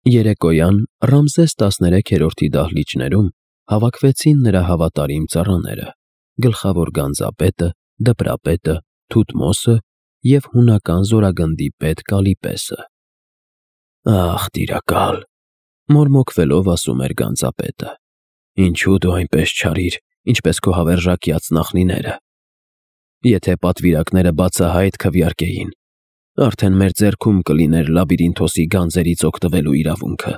Երեկոյան Ռամզես 13-րդի դահլիճներում հավաքվեցին նրա հավատարիմ ծառաները, գլխավոր գանձապետը, դպրապետը, Թութմոսը և հունական զորագնդի պետ Կալիպեսը։ «Ախ, տիրակալ,֊ մորմոքվելով ասում էր գանձապետը,֊ ինչու դու այնպես չարիր, ինչպես քո հավերժակյաց նախնիները։ Եթե պատվիրակները բացահայտ քվեարկեին, արդեն մեր ձեռքում կլիներ Լաբիրինթոսի գանձերից օգտվելու իրավունքը»։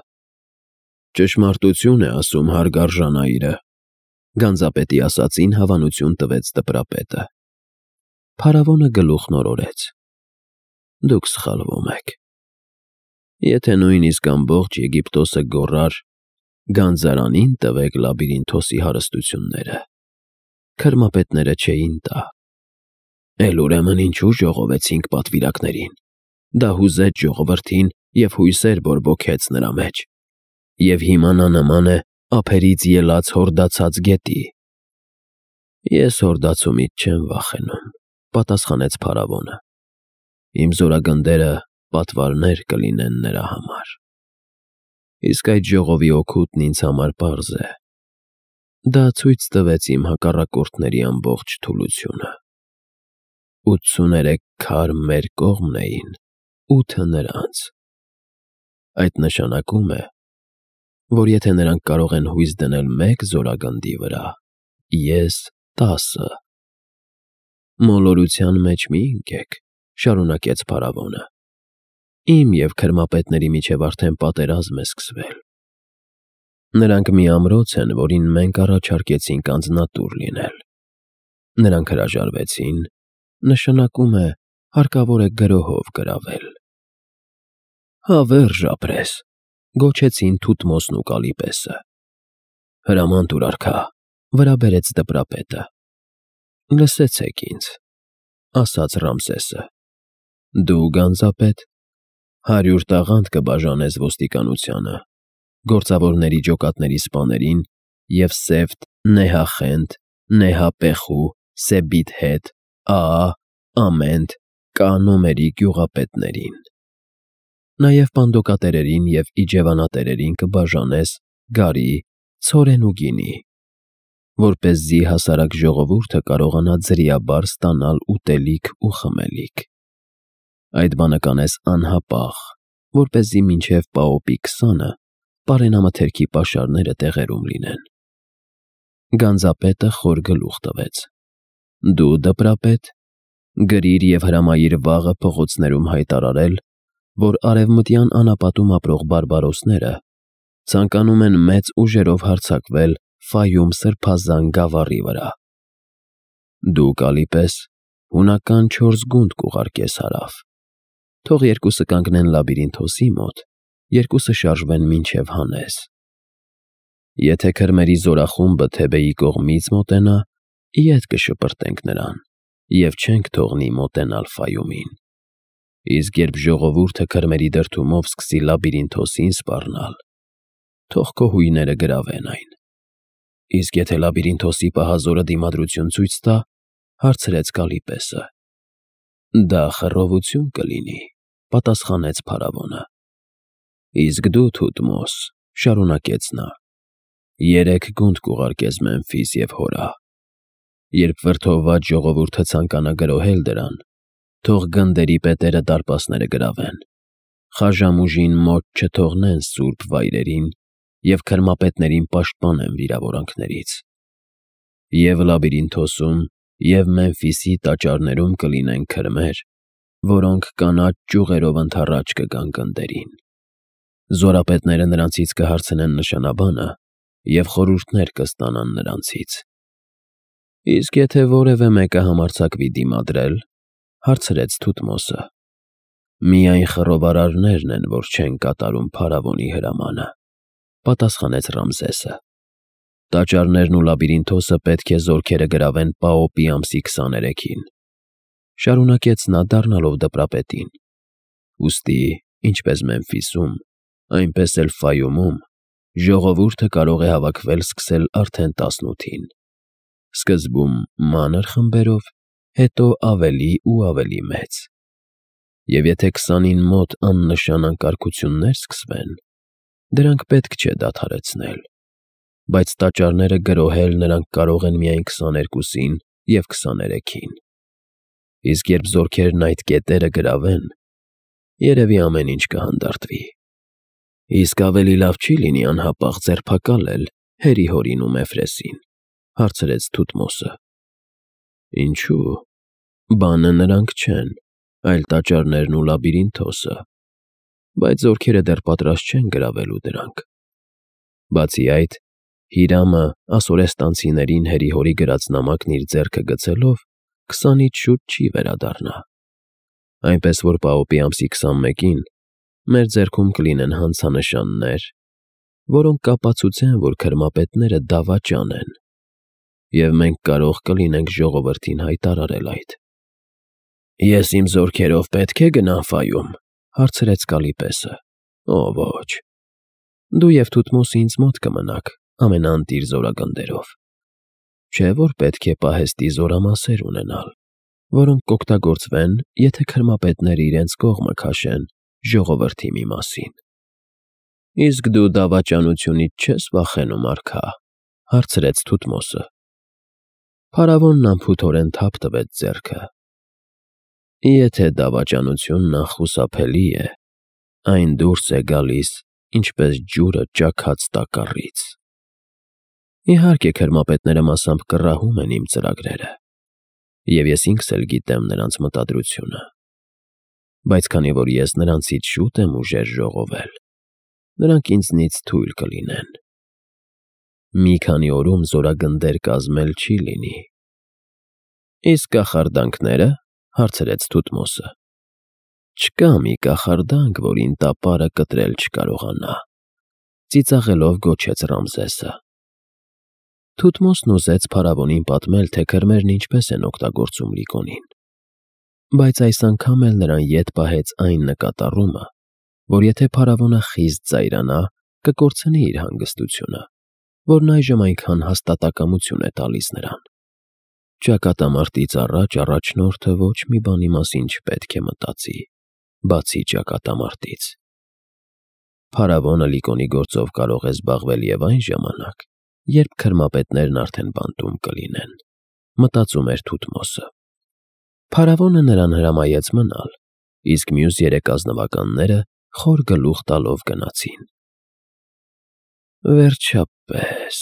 «Ճշմարտություն է ասում հարգարժան այրը,֊ գանձապետի ասածին հավանություն տվեց դպրապետը։ Փարավոնը գլուխն օրորեց. «Դուք սխալվում եք։ Եթե նույնիսկ ամբողջ Եգիպտոսը գոռար, գանձարանին տվեք Լաբիրինթոսի հարստությունները, քրմապետները չէին տա։ Էլ ուրեմն ինչու ժողովեցինք պատվիրակներին։ Դա հուզեց ժողովրդին և հույսեր բորբոքեց նրա մեջ, և հիմա նա նման է ափերից ելած հորդացած գետի»։ «Ես հորդացումից չեմ վախենում,֊ պատասխանեց փարավոնը։ Իմ զորագնդերը պատվարներ կլինեն նրա համար։ Իսկ այդ ժողովի օգուտն ինձ համար պարզ է. դա ցույց տվեց իմ հակառակորդների ամբողջ թուլությունը։ 83 քար մեր կողմն էին, 8-ը նրանց։ Այդ նշանակում է, որ եթե նրանք կարող են հույս դնել մեկ զորագնդի վրա, ես 10։ «Մոլորության մեջ մի ընկեք,֊ շարունակեց փարավոնը։ Իմ և քրմապետների միջև արդեն պատերազմ է սկսվել։ Նրանք մի ամրոց են, որին մենք առաջարկեցինք անձնատուր լինել։ Նրանք հրաժարվեցին, նշանակում է, հարկավոր է գրոհով գրավել»։ «Հավերժ ապրես,֊ գոչեցին Թութմոսն ու Կալիպեսը։ «Հրաման տուր, արքա,֊ վրա բերեց դպրապետը։ «Լսեցեք ինձ,֊ ասաց Ռամսեսը,֊ դու, գանձապետ, 100 տաղանդ կբաժանես ոստիկանությանը, գործավորների ջոկատների սպաներին և Սեֆտ, Նեհախենդ, Նեհապեխու, Սեբիթհետ, Աա, Ամենդ, Կանոմերի գյուղապետներին։ Նաև պանդոկատերերին և իջևանատերերին կբաժանես գարի, ցորեն ու գինի, որպեսզի հասարակ ժողովուրդը կարողանա ձրիաբար ստանալ ուտելիք ու խմելիք։ Այդ բանը կանես անհապաղ, որպեսզի մինչև Պաոպի 20-ը պարենամթերքի պաշարները տեղերում լինեն»։ Գանձապետը խոր գլուխ տվեց. «Դու, դպրապետ, գրիր և հրամայիր վաղը փողոցներում հայտարարել, որ արևմտյան անապատում ապրող բարբարոսները ցանկանում են մեծ ուժերով հարձակվել Ֆայում սրբազան գավառի վրա։ Դու, Կալիպես, հունական 4 գունդ կուղարկես հարավ։ Թող երկուսը կանգնեն Լաբիրինթոսի մոտ, երկուսը շարժվեն մինչև Հանես։ Եթե քրմերի զորախումբը Թեբեի կողմից մոտենա, ետ կշպրտենք նրան և չենք թողնի մոտենալ Ֆայումին։ Իսկ երբ ժողովուրդը քրմերի դրդումով սկսի Լաբիրինթոսին սպառնալ, թող քո հույները գրավեն այն։ Իսկ եթե Լաբիրինթոսի պահազորը դիմադրություն ցույց տա, հարցրեց Կալիպեսը։ Դա խռովություն կլինի, պատասխանեց փարավոնը։ Իսկ դու, Թութմոս, շարունակեց նա, 3 գունդ կուղարկես Մեմֆիս և Հորա։ Երբ վրդովված ժողովուրդը ցանկանա գրոհել դրան, թող գնդերի պետերը դարպասները գրավեն, խաժամ ուժին մոտ չթողնեն սուրբ վայրերին և քրմապետներին պաշտպանեն վիրավորանքներից։ Եվ Լաբիրինթոսում, և Մեմֆիսի տաճարներում կլինեն քրմեր, որոնք կանաչ ճյուղերով ընդառաջ կգան գնդերին։ Զորապետները նրանցից կհարցնեն նշանաբանը և խորհուրդներ կստանան նրանցից։ Իսկ եթե որևէ մեկը համարձակվի դիմադրել, հարցրեց Թութմոսը, միայն խռովարարներն են, որ չեն կատարում փարավոնի հրամանը, պատասխանեց Ռամզեսը։ Տաճարներն ու Լաբիրինթոսը պետք է զորքերը գրավեն Պաոպի ամսի 23-ին, շարունակեց նա դառնալով դպրապետին։ Ուստի, ինչպես Մեմֆիսում, այնպես էլ Ֆայումում ժողովուրդը կարող է հավաքվել սկսել արդեն 18-ին, սկզբում մանր խմբերով, հետո ավելի ու ավելի մեծ։ Եվ եթե 20-ին մոտ աննշան անկարգություններ սկսվեն, Դրանք պետք չէ դադարեցնել, բայց տաճարները գրոհել նրանք կարող են միայն 22-ին և 23-ին, իսկ երբ զորքերն այդ կետերը գրավեն, երևի ամեն ինչ կհանդարտվի։ Իսկ ավելի լավ չի լինի անհապաղ ձերբակալել Հերի-Հորին ու Մեֆրեսին, հարցրեց Թութմոսը։ Ինչու՞։ Բանը նրանք չեն, այլ տաճարներն ու լաբիրինթոսը, բայց զորքերը դեռ պատրաստ չեն գրավելու դրանք։ Բացի այդ, Հիրամը ասորեստանցիներին Հերի-Հորի գրած նամակն իր ձեռքը գցելով 20-ից շուտ չի վերադառնա, այնպես որ Պաոպի ամսի 21-ին մեր ձեռքում կլինեն հանցանշաններ, որոնք կապացուցեն, որ քրմապետները դավաճան են, և մենք կարող կլինենք ժողովրդին հայտարարել այդ։ Ես իմ զորքերով պետք է գնամ Ֆայում, հարցրեց Կալիպեսը։ Օ ոչ, դու և Թութմոսը ինձ մոտ կմնաք ամենաընտիր զորագնդերով, չէ՞ որ պետք է պահեստի զորամասեր ունենալ, որոնք կօգտագործվեն, եթե քրմապետները իրենց կողմը քաշեն ժողովրդի մի մասին։ Իսկ դու դավաճանությունից չես վախենում, արքա, հարցրեց Թութմոսը։ Փարավոնն անփութորեն թափ տվեց ձեռքը։ Եթե դավաճանությունն անխուսափելի է, այն դուրս է գալիս, ինչպես ջուրը ճաքած տակառից։ Իհարկե, քրմապետները մասամբ կռահում են իմ ծրագրերը, և ես ինքս էլ գիտեմ նրանց մտադրությունը, բայց քանի որ ես նրանցից շուտ եմ ուժեր ժողովել, նրանք ինձնից թույլ կլինեն։ Մի քանի օրում զորագնդեր կազմել չի լինի։ Իսկ կախարդանքները, հարցրեց Թութմոսը։ Չկա մի կախարդանք, որին տապարը կտրել չկարողանա, ծիծաղելով գոչեց Ռամզեսը։ Թութմոսն ուզեց փարավոնին պատմել, թե քրմերն ինչպես են օգտագործում Լիկոնին, բայց այս անգամ էլ նրան ետ պահեց այն նկատառումը, որ եթե փարավոնը խիստ զայրանա, կկորցնի իր հանգստությունը, որն այժմ այնքան հաստատակամություն է տալիս նրան։ Ճակատամարտից առաջ առաջնորդը ոչ մի բանի մասին չպետք է մտածի, բացի ճակատամարտից։ Փարավոնը Լիկոնի գործով կարող է զբաղվել և այն ժամանակ, երբ քրմապետներն արդեն բանտում կլինեն, մտածում էր Թութմոսը։ Փարավոնը նրան հրամայեց մնալ, իսկ մյուս 3 ազնվականները խոր գլուխ տալով գնացին։ Վերջապես,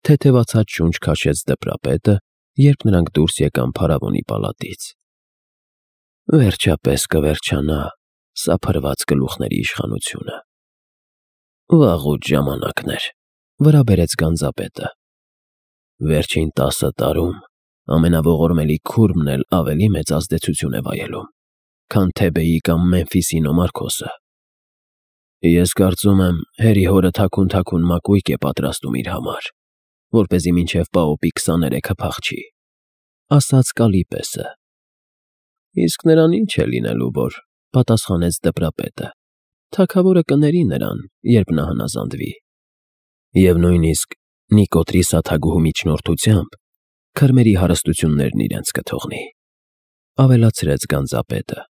թեթևացած շունչ քաշեց դպրապետը, երբ նրանք դուրս եկան փարավոնի պալատից։ Վերջապես կվերջանա սա փրված գլուխների իշխանությունը։ Վաղուց ժամանակն էր, վրա բերեց գանձապետը։ Վերջին 10 տարում ամենաողորմելի քուրմն էլ ավելի մեծ ազդեցություն է վայելում, քան Թեբեի կամ Մեմֆիսի Նոմարքոսը։ Ես կարծում եմ, Հերի-Հորը թաքուն մակույկ է պատրաստում իր համար, որպեսզի մինչև Պաոպի 23-ը փախչի, ասաց Կալիպեսը։ Իսկ նրան ինչ է լինելու, որ, պատասխանեց դպրապետը, թագավորը կների նրան, երբ նա հնազանդվի։ Եվ նույնիսկ Նիկոտրի սաթագուհու միջնորդությամբ քրմերի հարստություններն իրենց կթողնի, ավելացրեց գանձապետը։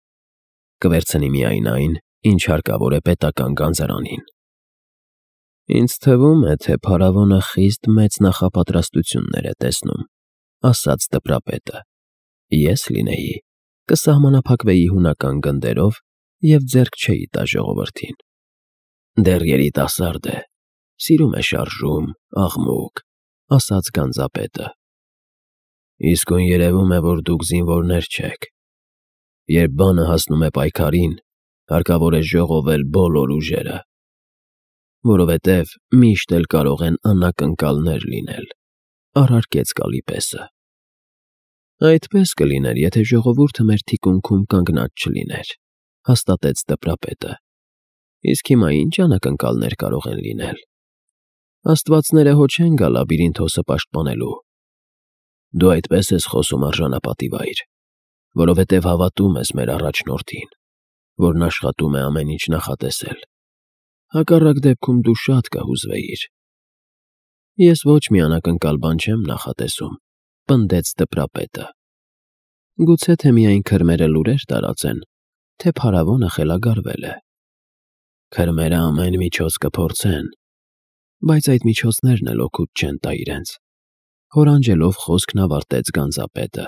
Կվերցնի միայն այն, ինչ հարկավոր է պետական գանձարանին։ Ինձ թվում է, թե փարավոնը խիստ մեծ նախապատրաստություններ է տեսնում, ասաց դպրապետը։ Ես լինեի, կսահմանափակվեի հունական գնդերով և ձեռք չէի տա ժողովրդին։ Դեռ երիտասարդ է, սիրում է շարժում, աղմուկ, ասաց գանձապետը։ Իսկույն երևում է, որ դուք զինվորներ չեք։ Երբ բանը հասնում է պայքարին, հարկավոր է ժողովել բոլոր ուժերը, որովհետև միշտ էլ կարող են անակնկալներ լինել, առարկեց Կալիպեսը։ Այդպես կլիներ, եթե ժողովուրդը մեր թիկունքում կանգնած չլիներ, հաստատեց դպրապետը։ Իսկ հիմա ինչ անակնկալներ կարող են լինել։ Աստվածները հո չեն գա լաբիրինթոսը պաշտպանելու։ Դու այդպես ես խոսում արժանապատիվ այր, որովհետև հավատում ես մեր առաջնորդին, որն աշխատում է ամեն ինչ նախատեսել։ Հակառակ դեպքում դու շատ կհուզվեիր։ Ես ոչ մի անակնկալ բան չեմ նախատեսում, պնդեց դպրապետը։ Գուցե թե միայն քրմերը լուրեր տարածեն, թե փարավոնը խելագարվել է։ Քրմերը ամեն միջոց կփորձեն, բայց այդ միջոցներն էլ օգուտ չեն տա իրենց։ Հորանջելով խոսքն ավարտեց գանձապետը։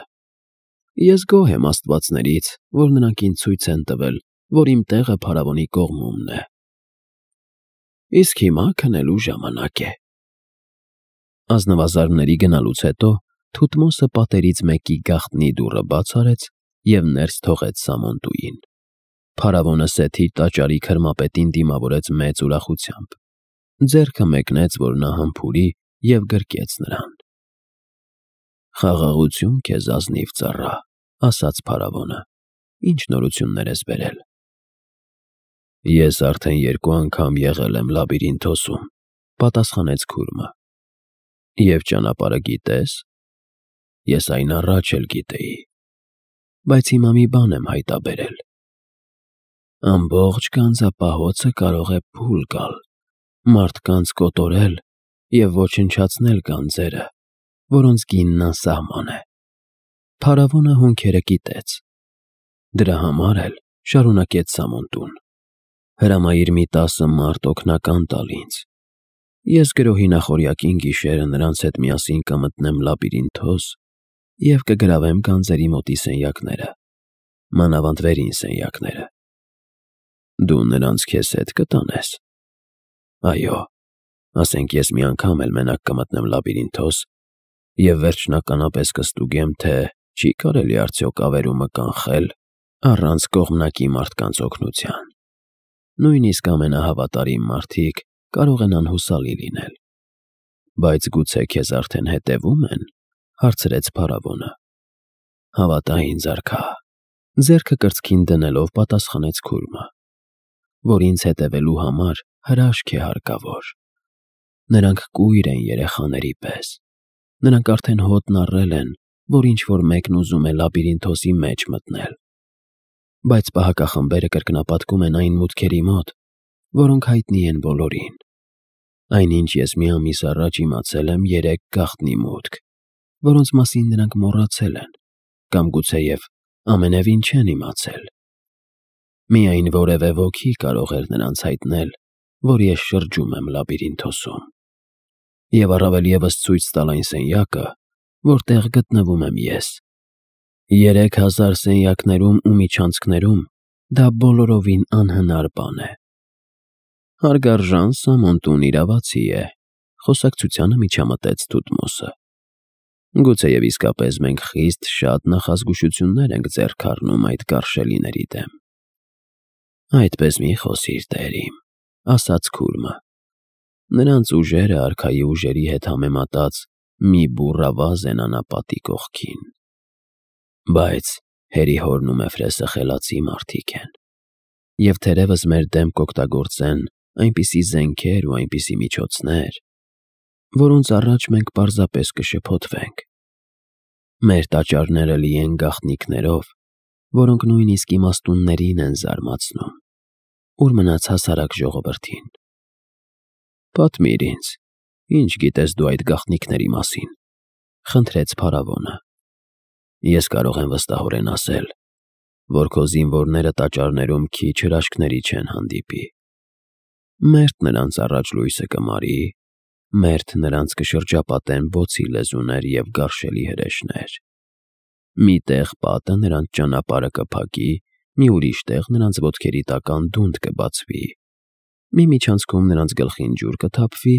Ես գոհ եմ աստվածներից, որ նրանք ինձ ցույց են տվել, որ իմ տեղը փարավոնի կողմումն է։ Իսկ հիմա քնելու ժամանակ է։ Ազնվազարդների գնալուց հետո Թութմոսը պատերից մեկի գաղտնի դուռը բաց արեց և ներս թողեց Սամոնտուին։ Փարավոնը սեթի տաճարի քրմապետին դիմավորեց մեծ ուրախությամբ։ Ձեռքը մեկնեց, որ նա համբուրի և գրկեց նրան։ «Խաղաղություն քեզ, ազնիվ ծառա», ասաց փարավոնը, «ինչ նորություններ ես բերել»։ Ես արդեն 2 անգամ եղել եմ Լաբիրինթոսում, պատասխանեց քուրմը։ Եվ ճանապարհը գիտե՞ս։ Ես այն առաջ էլ գիտեի, բայց հիմա մի բան եմ հայտաբերել։ Ամբողջ գանձապահոցը կարող է փուլ գալ, մարդկանց կոտորել և ոչնչացնել գանձերը, որոնց գինն անսահման է։ Փարավոնը հոնքերը կիտեց։ Դրա համար էլ, շարունակեց Սամոնտուն, հրամայիր մի 10 մարդ օգնական տալ ինձ։ Ես գրոհի նախօրյակին գիշերը նրանց հետ միասին կմտնեմ Լաբիրինթոս և կգրավեմ գանձերի մոտի սենյակները, մանավանդ վերին սենյակները։ Դու նրանց քեզ հետ կտանես։ Այո, ասենք ես մի անգամ էլ մենակ կմտնեմ Լաբիրինթոս և վերջնականապես կստուգեմ, թե չի կարելի արդյոք ավերումը կանխել առանց կողմնակի մարդկանց օգնության։ Նույնիսկ ամենահավատարիմ մարդիկ կարող են անհուսալի լինել։ Բայց գուցե քեզ արդեն հետևում են, հարցրեց փարավոնը։ Հավատա ինձ, արքա, ձեռքը կրծքին դնելով պատասխանեց քուրմը, որ ինձ հետևելու համար հրաշք է հարկավոր։ Նրանք կույր են երեխաների պես։ Նրանք արդեն հոտն առել են, որ ինչ-որ մեկն ուզում է Լաբիրինթոսի մեջ մտնել։ Բայց պահակախմբերը կրկնապատկում են այն մուտքերի մոտ, որոնք հայտնի են բոլորին։ Այնինչ ես մի ամիս առաջ իմացել եմ 3 գաղտնի մուտք, որոնց մասին նրանք մոռացել են, կամ գուցեև ամենևին չեն իմացել։ Միայն որևէ ոքի կարող էր նրանց հայտնել, որ ես շրջում եմ Լաբիրինթոսում։ Եվ առավել ևս ցույց տալ այն սենյակը, որտեղ գտնվում եմ ես։ 3000 սենյակներում ու միջանցքներում դա բոլորովին անհնար բան է։ Հարգարժան Սամոնտուն իրավացի է, խոսակցությանը միջամտեց Թութմոսը։ Գուցեև իսկապես մենք խիստ շատ նախազգուշություններ ենք ձեռք առնում այդ կարշելիների դեմ։ Այդպես մի խոսիր, տեր իմ, ասաց քուրմը։ Նրանց ուժերը արքայի ուժերի հետ համեմատած մի բուռ ավազ են անապատի կողքին։ Բայց Հերի հորն ու Մեֆրեսը խելացի մարդիկ են, և թերևս մեր դեմ կօգտագործեն այնպիսի զենքեր ու այնպիսի միջոցներ, որոնց առաջ մենք պարզապես կշփոթվենք։ Մեր տաճարները լի են գաղտնիքներով, որոնք նույնիսկ իմաստուններին են զարմացնում։ Ուր մնաց հասարակ ժողովրդին։ Պատմիր ինձ, ինչ գիտես դու այդ գաղտնիքների մասին, խնդրեց փարավոնը։ Ես կարող եմ վստահորեն ասել, որ քո զինվորները տաճարներում քիչ հրաշքների չեն հանդիպի։ Մերթ նրանց առաջ լույսը կմարի, մերթ նրանց կշրջապատեն բոցի լեզուներ և գարշելի հրեշներ։ Մի տեղ պատը նրանց ճանապարհը կփակի, մի ուրիշ տեղ նրանց ոտքերի տակ անդունդ կբացվի, մի միջանցքում նրանց գլխին ջուր կթափվի,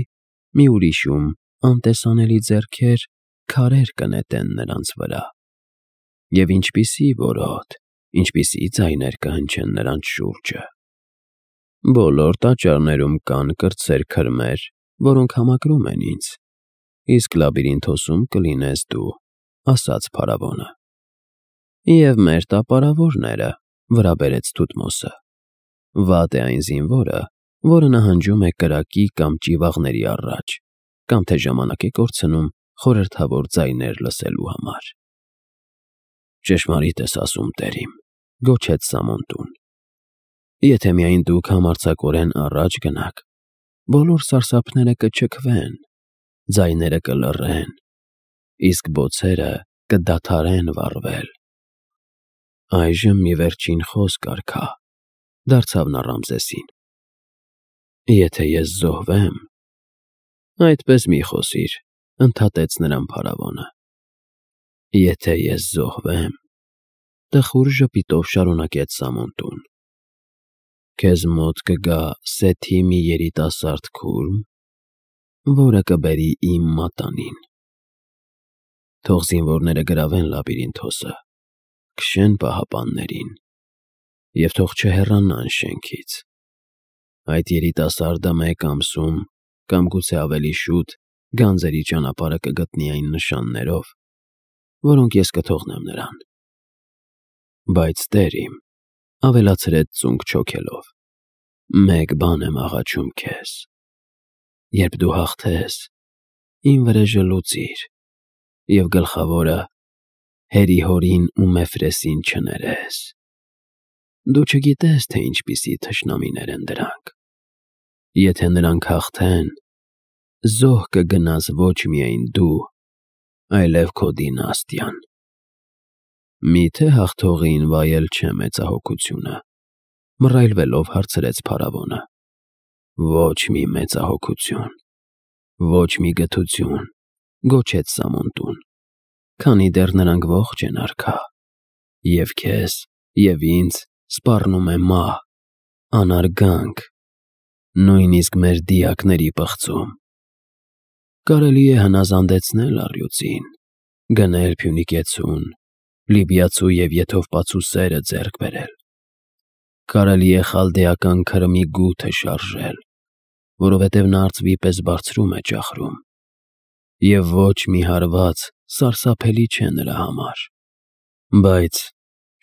մի ուրիշում անտեսանելի ձեռքեր քարեր կնետեն նրանց վրա։ Եվ ինչպիսի որոտ, ինչպիսի ձայներ կհնչեն նրանց շուրջը։ Բոլոր տաճարներում կան կրտսեր քրմեր, որոնք համակրում են ինձ, իսկ Լաբիրինթոսում կլինես դու, ասաց փարավոնը։ Եվ մեր տապարավորները, վրա բերեց Թութմոսը։ Վատ է այն զինվորը, որը նահանջում է կրակի կամ ճիվաղների առաջ, կամ թե ժամանակ է կորցնում խորհրդավոր ձայներ լսելու համար։ Ճշմարիտ ես ասում, տեր իմ, գոչեց Սամոնտուն։ Եթե միայն դուք համարձակորեն առաջ գնաք, բոլոր սարսափները կչքվեն, ձայները կլռեն, իսկ բոցերը կդադարեն վառվել։ Այժմ մի վերջին խոսք, արքա, դարձավ նա Ռամզեսին։ Եթե ես զոհվեմ, այդպես մի խոսիր, ընդհատեց նրան փարավոնը։ Եթե ես զոհվեմ, տխուր ժպիտով շարունակեց Սամոնտուն, քեզ մոտ կգա Սեթի մի երիտասարդ քուրմ, որը կբերի իմ մատանին։ Թող զինվորները գրավեն Լաբիրինթոսը, քշեն պահապաններին և թող չհեռանան շենքից։ Այդ երիտասարդը մեկ ամսում, կամ գուցե ավելի շուտ, գանձերի ճանապարհը կգտնի այն նշաններով, որոնք ես կթողնեմ նրան։ Բայց Տեր իմ, ավելացրեց ծունկ չոքելով, մեկ բան եմ աղաչում քեզ. երբ դու հաղթես, իմ վրեժը լուծիր և գլխավորը Հերի-Հորին ու Մեֆրեսին չներես։ Դու չգիտես, թե ինչպիսի թշնամիներ են դրանք։ Եթե նրանք հաղթեն, զոհ կգնաս ոչ միայն դու, այլև քո դինաստիան։ Միթե հաղթողին վայել չէ մեծահոգությունը, մռայլվելով հարցրեց փարավոնը։ Ոչ մի մեծահոգություն, ոչ մի գթություն, գոչեց Սամոնտուն, քանի դեռ նրանք ողջ են արքա, և քեզ, և ինձ սպառնում է մահ, անարգանք, նույնիսկ մեր դիակների պղծում։ Կարելի է հնազանդեցնել առյուծին, գնել Փյունիկեցուն, Լիբիացու և Եթովպացու սերը ձեռք բերել։ Կարելի է խալդեական Քրմի գութը շարժել, որովհետև նա արծվի պես բարձրում է ճախրում, և ոչ մի հարված սարսափելի չէ նրա համար։ Բայց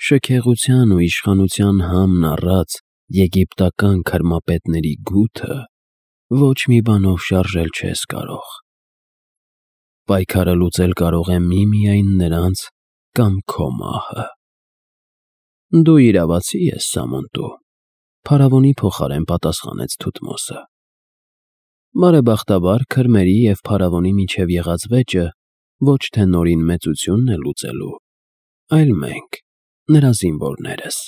շքեղության ու իշխանության համն առած եգիպտական քրմապետների գութը ոչ մի բանով շարժել չես կարող։ Պայքարը լուծել կարող է միմիայն նրանց կամ քո մահը։ Դու իրավացի ես, Սամոնտու, փարավոնի փոխարեն պատասխանեց Թութմոսը։ Բարեբախտաբար քրմերի և փարավոնի միջև եղած վեճը ոչ թե նորին մեծությունն է լուծելու, այլ մենք, նրա զինվորներս։